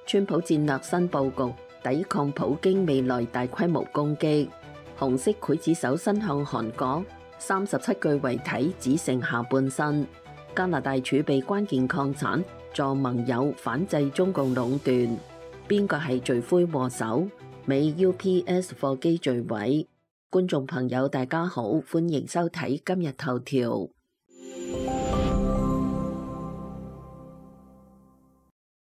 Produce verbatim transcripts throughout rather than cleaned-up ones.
川普戰略新佈局，抵抗普京未來大規模攻擊。紅色劊子手伸向韓國，三十七具遺體只剩下半身。加拿大儲備關鍵礦產，助盟友反制中共壟斷。邊個係罪魁禍首？美 U P S 貨機墜毀。觀眾朋友大家好，歡迎收睇今日頭條。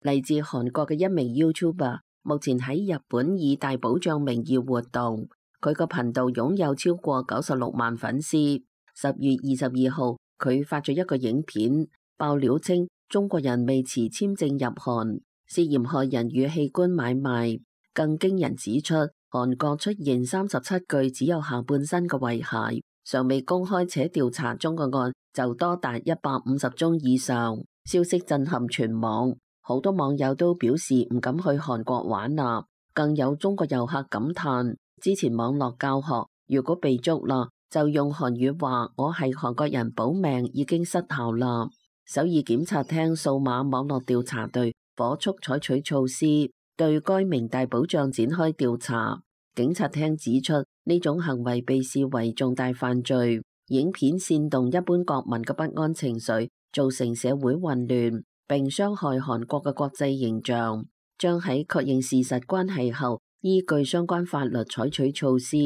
嚟自韓國嘅一名 YouTuber， 目前喺日本以大保障名義活動。佢個頻道擁有超過九十六萬粉絲。十月二十二號，佢發咗一個影片，爆料稱中國人未持簽證入韓，涉嫌害人與器官買賣。更驚人指出，韓國出現三十七具只有下半身嘅遺骸，尚未公開且調查中嘅案就多達一百五十宗以上。消息震撼全網。好多網友都表示唔敢去韓國玩啦，更有中國遊客感嘆，之前網絡教學如果被捉啦，就用韓語話我係韓國人保命已經失效啦。首爾檢察廳數碼網絡調查隊火速採取措施，對該名大保障展開調查。警察廳指出，呢種行為被視為重大犯罪，影片煽動一般國民嘅不安情緒，造成社會混亂，並傷害韓國嘅國際形象，將喺確認事實關係後，依據相關法律採取措施。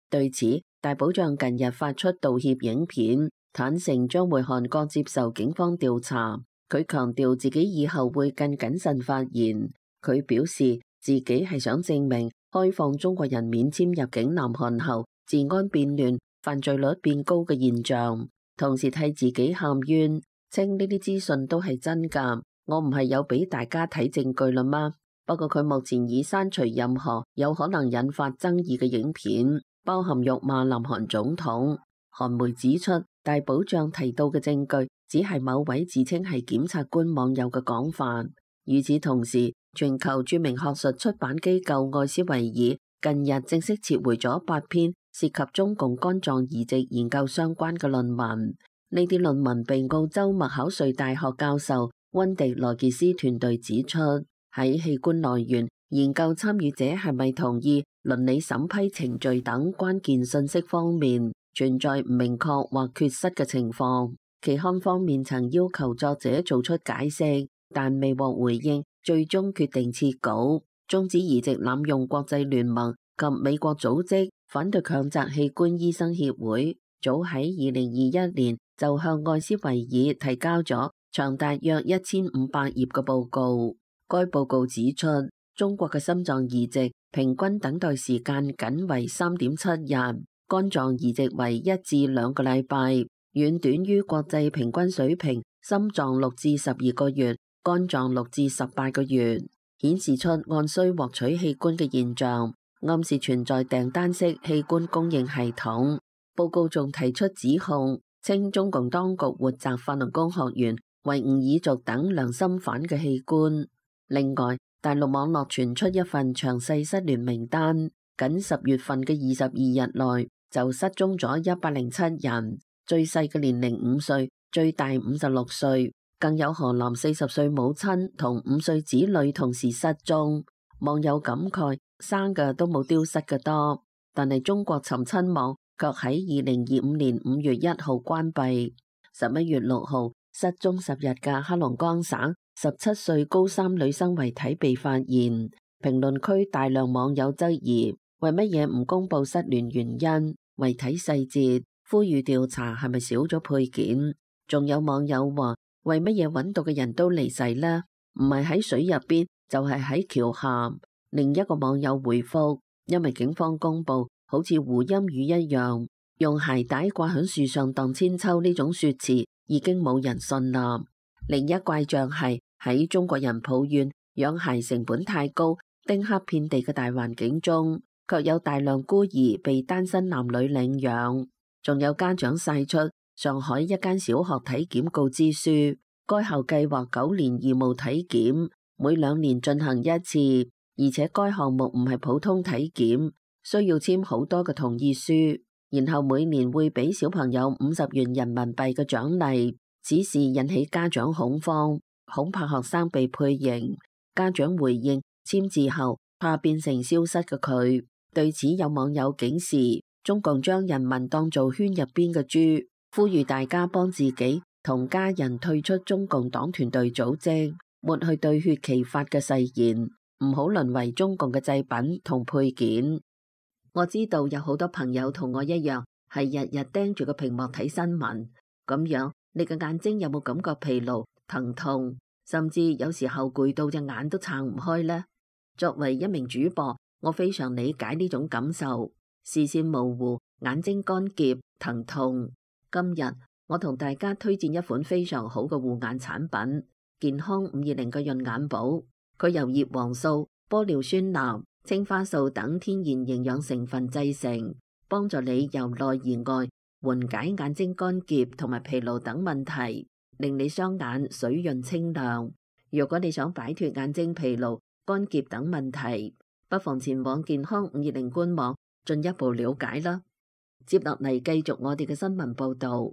對此，大保障近日發出道歉影片，坦承將會韓國接受警方調查。佢強調自己以後會更謹慎發言。佢表示自己係想證明開放中國人免簽入境南韓後，治安變亂、犯罪率變高嘅現象，同時替自己喊冤。稱呢啲資訊都係真㗎，我唔係有俾大家睇證據啦嗎？不過佢目前已刪除任何有可能引發爭議嘅影片，包含辱罵南韓總統。韓媒指出，大保障提到嘅證據只係某位自稱係檢察官網友嘅講法。與此同時，全球著名學術出版機構愛斯維爾近日正式撤回咗八篇涉及中共肝臟移植研究相關嘅論文。呢啲論文被澳洲麥考瑞大學教授溫迪羅傑斯團隊指出，喺器官來源、研究參與者係咪同意、倫理審批程序等關鍵信息方面存在唔明確或缺失嘅情況。期刊方面曾要求作者做出解釋，但未獲回應，最終決定撤稿。終止移植濫用國際聯盟及美國組織反對強摘器官醫生協會早喺二零二一年就向愛斯維爾提交咗長達約一千五百頁嘅報告。該報告指出，中國嘅心臟移植平均等待時間僅為三點七日，肝臟移植為一至兩個禮拜，遠短於國際平均水平，心臟六至十二個月，肝臟六至十八個月，顯示出按需獲取器官嘅現象，暗示存在訂單式器官供應系統。報告仲提出指控，稱中共當局活摘法輪功學員、維吾爾族等良心犯嘅器官。另外，大陸網絡傳出一份詳細失聯名單，僅十月份嘅二十二日內就失蹤咗一百零七人，最細嘅年齡五歲，最大五十六歲，更有河南四十歲母親同五歲子女同時失蹤。網友感慨，生嘅都冇丟失嘅多，但係中國尋親網卻喺二零二五年五月一號關閉。十一月六號失蹤十日嘅黑龍江省十七歲高三女生遺體被發現，評論區大量網友質疑，為乜嘢唔公布失聯原因、遺體細節，呼籲調查係咪少咗配件？仲有網友話，為乜嘢揾到嘅人都離世呢？唔係喺水入邊，就係喺橋下。另一個網友回覆，因為警方公布好似胡鑫宇一樣，用鞋帶掛喺樹上蕩千秋呢種說辭，已經冇人信啦。另一怪象係喺中國人抱怨養孩成本太高、丁克遍地嘅大環境中，卻有大量孤兒被單身男女領養。仲有家長晒出上海一間小學體檢告知書，該校計劃九年義務體檢，每兩年進行一次，而且該項目唔係普通體檢，需要簽好多嘅同意書，然後每年會俾小朋友五十元人民幣嘅獎勵。此事引起家長恐慌，恐怕學生被配型。家長回應簽字後怕變成消失嘅佢。對此有網友警示，中共將人民當做圈入邊嘅豬，呼籲大家幫自己同家人退出中共黨團隊組織，抹去對血奇法嘅誓言，唔好淪為中共嘅製品同配件。我知道有好多朋友同我一樣，係日日盯住個屏幕睇新聞，咁樣你嘅眼睛有冇感覺疲勞、疼痛，甚至有時候攰到隻眼都撐唔開呢？作為一名主播，我非常理解呢種感受，視線模糊、眼睛乾澀、疼痛。今日我同大家推薦一款非常好嘅護眼產品——健康五二零嘅潤眼寶。佢由葉黃素、玻尿酸鈉、青花素等天然營養成分製成，幫助你由內而外緩解眼睛乾澀同埋疲勞等問題，令你雙眼水潤清亮。如果你想擺脫眼睛疲勞、乾澀等問題，不妨前往健康五二零官網進一步了解啦。接落嚟繼續我哋嘅新聞報道。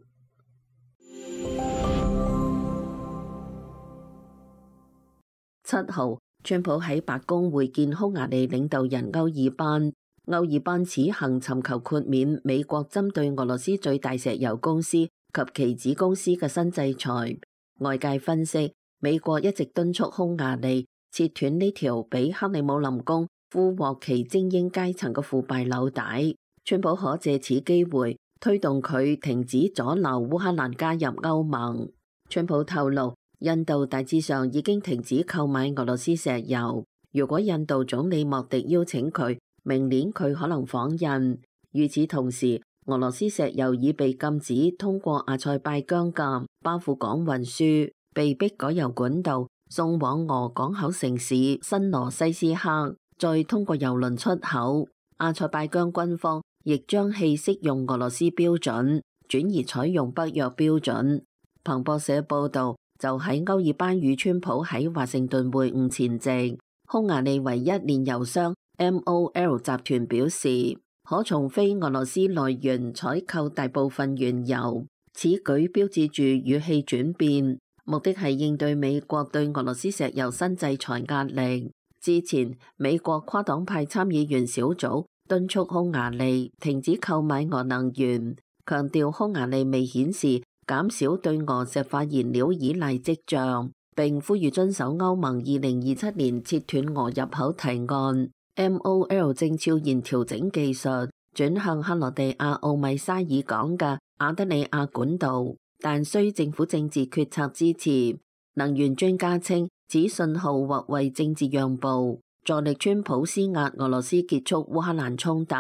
七號，川普喺白宮會見匈牙利領導人歐爾班。歐爾班此行尋求豁免美國針對俄羅斯最大石油公司及其子公司嘅新制裁。外界分析，美國一直敦促匈牙利切斷呢條俾克里姆林宮俘獲其精英階層嘅腐敗紐帶。川普可借此機會推動佢停止阻撓烏克蘭加入歐盟。川普透露，印度大致上已經停止購買俄羅斯石油。如果印度總理莫迪邀請佢，明年佢可能訪印。與此同時，俄羅斯石油已被禁止通過阿塞拜疆嘅巴庫港運輸，被迫改由管道送往俄港口城市新羅西斯克，再通過郵輪出口。阿塞拜疆軍方亦將棄適用俄羅斯標準，轉而採用北約標準。彭博社報導，就喺歐爾班與川普喺華盛頓會晤前夕，匈牙利唯一煉油商 M O L 集團表示，可從非俄羅斯來源採購大部分原油。此舉標誌住語氣轉變，目的係應對美國對俄羅斯石油新制裁壓力。之前，美國跨黨派參議員小組敦促匈牙利停止購買俄能源，強調匈牙利未顯示減少對俄石化燃料依賴跡象，並呼籲遵守歐盟二零二七年切斷俄入口提案。M O L 正悄然調整技術，轉向克羅地亞奧米沙爾港嘅亞德里亞管道，但需政府政治決策支持。能源專家稱，此信號或為政治讓步，助力川普施壓俄羅斯結束烏克蘭衝突。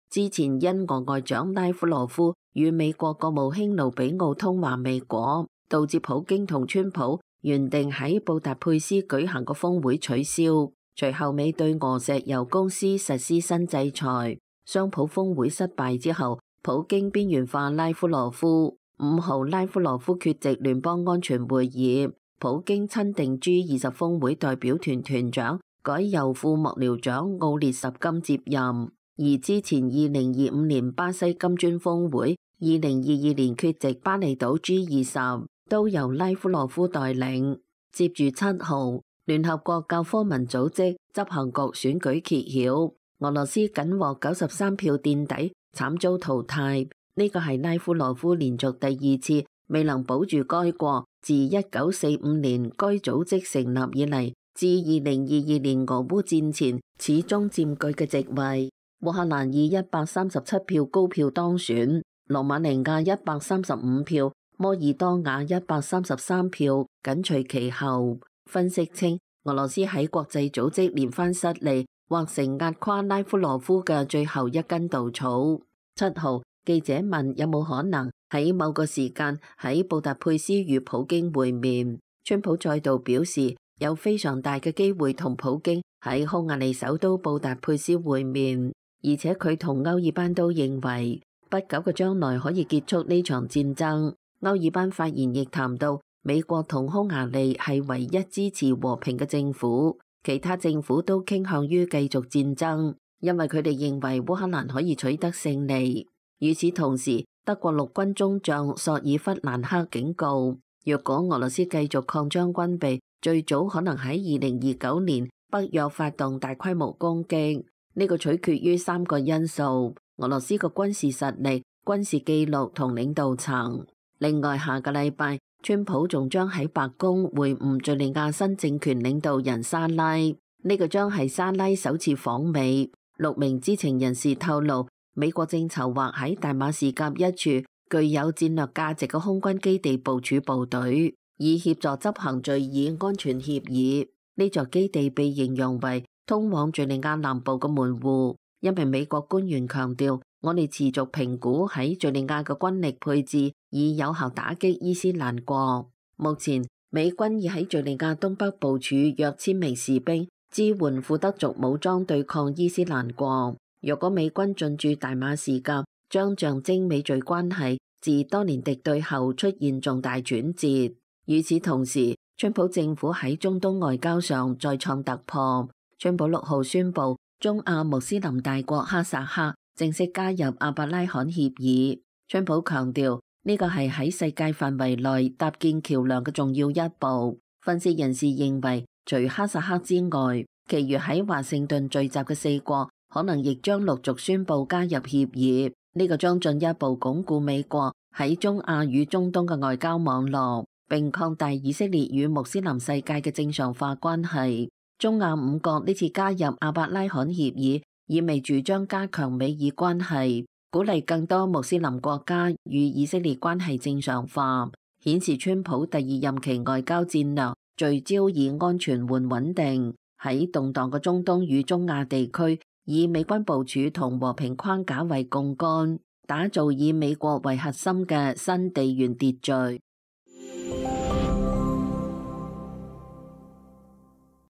之前因俄外長拉夫羅夫與美國國務卿盧比奧通話未果，導致普京同川普原定喺布達佩斯舉行個峰會取消。隨後美對俄石油公司實施新制裁。雙普峰會失敗之後，普京邊緣化拉夫羅夫。五號拉夫羅夫缺席聯邦安全會議，普京親定 G 二十峰會代表團團長，改由副幕僚長奧列什金接任。而之前二零二五年巴西金磚峰會、二零二二年缺席巴厘島 G 二十都由拉夫羅夫帶領。接住七號，聯合國教科文組織執行局選舉揭曉，俄羅斯僅獲九十三票墊底，慘遭淘汰。呢個係拉夫羅夫連續第二次未能保住該國自一九四五年該組織成立以嚟至二零二二年俄烏戰前始終佔據嘅席位。烏克蘭以一百三十七票高票當選，羅馬尼亞一百三十五票，摩爾多瓦一百三十三票緊隨其後。分析稱，俄羅斯喺國際組織連番失利，或成壓垮拉夫羅夫嘅最後一根稻草。七號，記者問有冇可能喺某個時間喺布達佩斯與普京會面，川普再度表示有非常大嘅機會同普京喺匈牙利首都布達佩斯會面，而且佢同歐爾班都認為不久嘅將來可以結束呢場戰爭。歐爾班發言亦談到美國同匈牙利係唯一支持和平嘅政府，其他政府都傾向於繼續戰爭，因為佢哋認為烏克蘭可以取得勝利。與此同時，德國陸軍中將索爾弗蘭克警告，若果俄羅斯繼續擴張軍備，最早可能喺二零二九年北約發動大規模攻擊，呢個取決於三個因素：俄羅斯嘅軍事實力、軍事記錄同領導層。另外，下個禮拜，川普仲將喺白宮會晤敘利亞新政權領導人沙拉，呢個將係沙拉首次訪美。六名知情人士透露，美國正籌劃喺大馬士革一處具有戰略價值嘅空軍基地部署部隊，以協助執行敘以安全協議。呢座基地被形容為通往敘利亞南部嘅門戶。一名美國官員強調，我哋持續評估喺敘利亞嘅軍力配置，以有效打擊伊斯蘭國。目前，美軍已喺敘利亞東北部署約千名士兵，支援庫德族武裝對抗伊斯蘭國。若果美軍進駐大馬士革，將象徵美敘關係自多年敵對後出現重大轉折。與此同時，川普政府喺中東外交上再創突破。川普六號宣布，中亞穆斯林大國哈薩克正式加入阿伯拉罕協議。川普強調，呢個係喺世界範圍內搭建橋樑嘅重要一步。分析人士認為，除哈薩克之外，其餘喺華盛頓聚集嘅四國可能亦將陸續宣布加入協議。呢個將進一步鞏固美國喺中亞與中東嘅外交網絡，並擴大以色列與穆斯林世界嘅正常化關係。中亞五國呢次加入阿伯拉罕協議，意味住將加強美以關係，鼓勵更多穆斯林國家與以色列關係正常化，顯示川普第二任期外交戰略聚焦以安全換穩定，喺動盪嘅中東與中亞地區，以美軍部署同和平框架為槓桿，打造以美國為核心嘅新地緣秩序。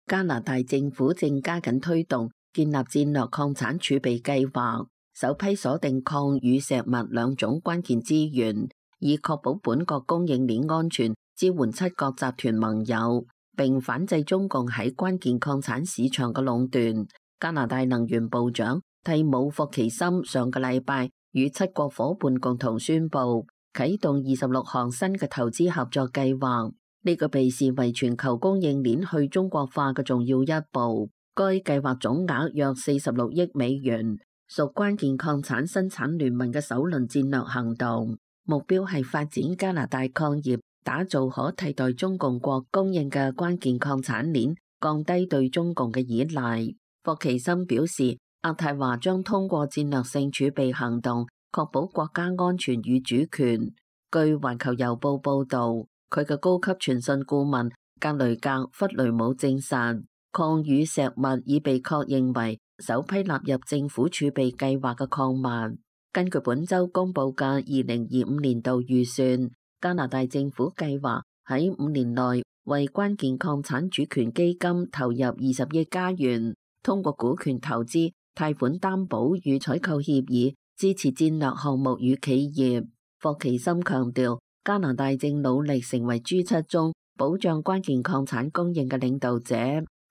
加拿大政府正加緊推動建立戰略礦產儲備計劃，首批鎖定礦與石墨兩種關鍵資源，以確保本國供應鏈安全，支援七國集團盟友，並反制中共喺關鍵礦產市場嘅壟斷。加拿大能源部長蒂姆霍奇森上個禮拜與七國夥伴共同宣布啟動二十六項新嘅投資合作計劃。呢個被視為全球供應鏈去中國化嘅重要一步。該計劃總額約四十六億美元，屬關鍵礦產生產聯盟嘅首輪戰略行動，目標係發展加拿大礦業，打造可替代中共國供應嘅關鍵礦產鏈，降低對中共嘅依賴。霍奇森表示，渥太華將通過戰略性儲備行動，確保國家安全與主權。據環球郵報報導，佢嘅高級傳訊顧問格雷格弗雷姆證實，礦與石墨已被確認為首批納入政府儲備計劃嘅礦物。根據本周公佈嘅二零二五年度預算，加拿大政府計劃喺五年內為關鍵礦產主權基金投入二十億加元，通過股權投資、貸款擔保與採購協議支持戰略項目與企業。霍奇森強調，加拿大正努力成為 G 七 中保障關鍵礦產供應嘅領導者，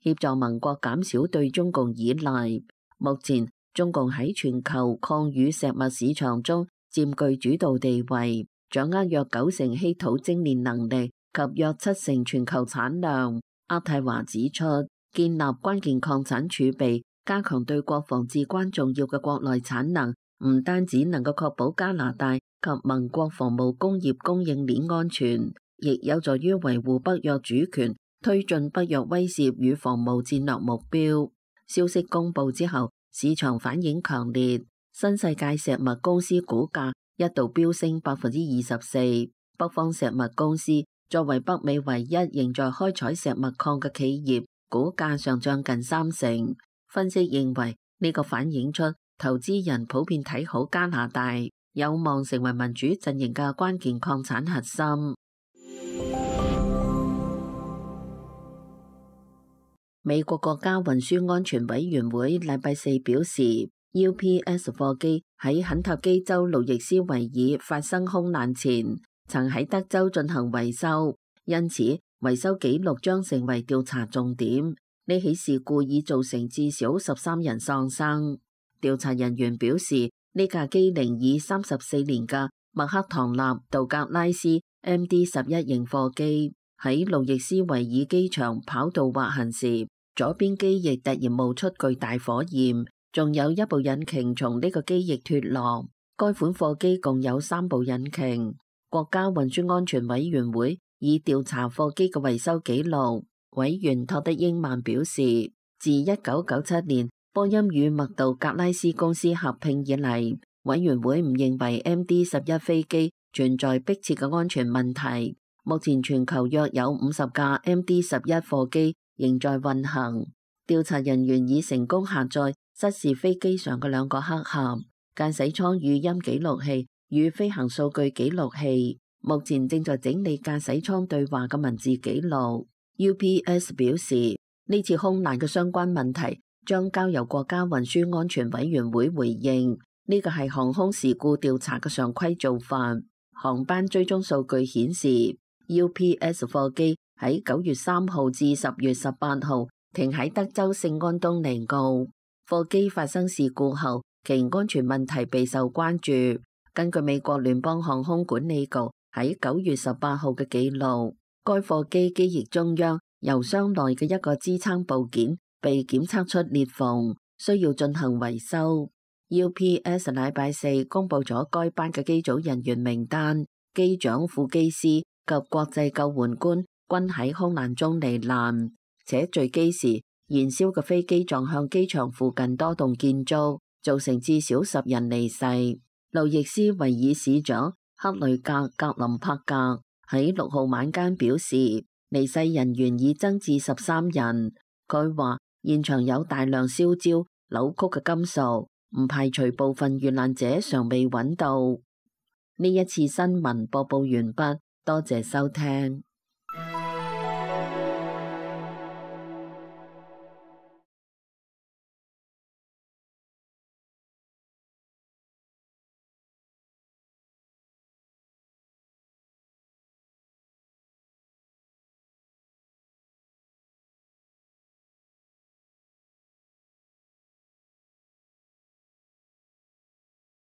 協助盟國減少對中共依賴。目前，中共喺全球礦與石墨市場中佔據主導地位，掌握約九成稀土精煉能力及約七成全球產量。渥太華指出，建立關鍵礦產儲備，加強對國防至關重要嘅國內產能，唔單止能夠確保加拿大及盟國防務工業供應鏈安全，亦有助於維護北約主權，推進北約威懾與防務戰略目標。消息公布之後，市場反應強烈，新世界石墨公司股價一度飆升百分之二十四。北方石墨公司作為北美唯一仍在開採石墨礦嘅企業，股價上漲近三成。分析認為，呢個反映出投資人普遍睇好加拿大，有望成為民主陣營嘅關鍵礦產核心。美國國家運輸安全委員會禮拜四表示 ，U P S 貨機喺肯塔基州路易斯維爾發生空難前，曾喺德州進行維修，因此維修記錄將成為調查重點。呢起事故已造成至少十三人喪生。調查人員表示，呢架機齡已三十四年嘅麥克唐納道格拉斯 M D 十一 型貨機喺路易斯維爾機場跑道滑行時，左邊機翼突然冒出巨大火焰，仲有一部引擎從呢個機翼脫落。該款貨機共有三部引擎。國家運輸安全委員會已調查貨機嘅維修記錄。委員托德英曼表示，自一九九七年波音與麥道格拉斯公司合併以嚟，委員會唔認為 M D 十一飛機存在迫切嘅安全問題。目前全球約有五十架 M D 十一貨機仍在運行。調查人員已成功下載失事飛機上嘅兩個黑盒、駕駛艙語音記錄器與飛行數據記錄器，目前正在整理駕駛艙對話嘅文字記錄。U P S 表示，呢次空難嘅相關問題將交由國家運輸安全委員會回應。呢個係航空事故調查嘅常規做法。航班追蹤數據顯示 ，U P S 貨機喺九月三號至十月十八號停喺德州聖安東尼奧。貨機發生事故後，其安全問題備受關注。根據美國聯邦航空管理局喺九月十八號嘅記錄，該貨機機翼中央油箱內嘅一個支撐部件被檢測出裂縫，需要進行維修。U P S 禮拜四公布咗該班嘅機組人員名單，機長、副機師及國際救援官均喺空難中罹難，且墜機時燃燒嘅飛機撞向機場附近多棟建築，造成至少十人離世。路易斯維爾市長克雷格格林柏格喺六號晚間表示，離世人員已增至十三人。佢話現場有大量燒焦、扭曲嘅金屬，唔排除部分遇難者尚未揾到。呢一次新聞播報完畢，多謝收聽。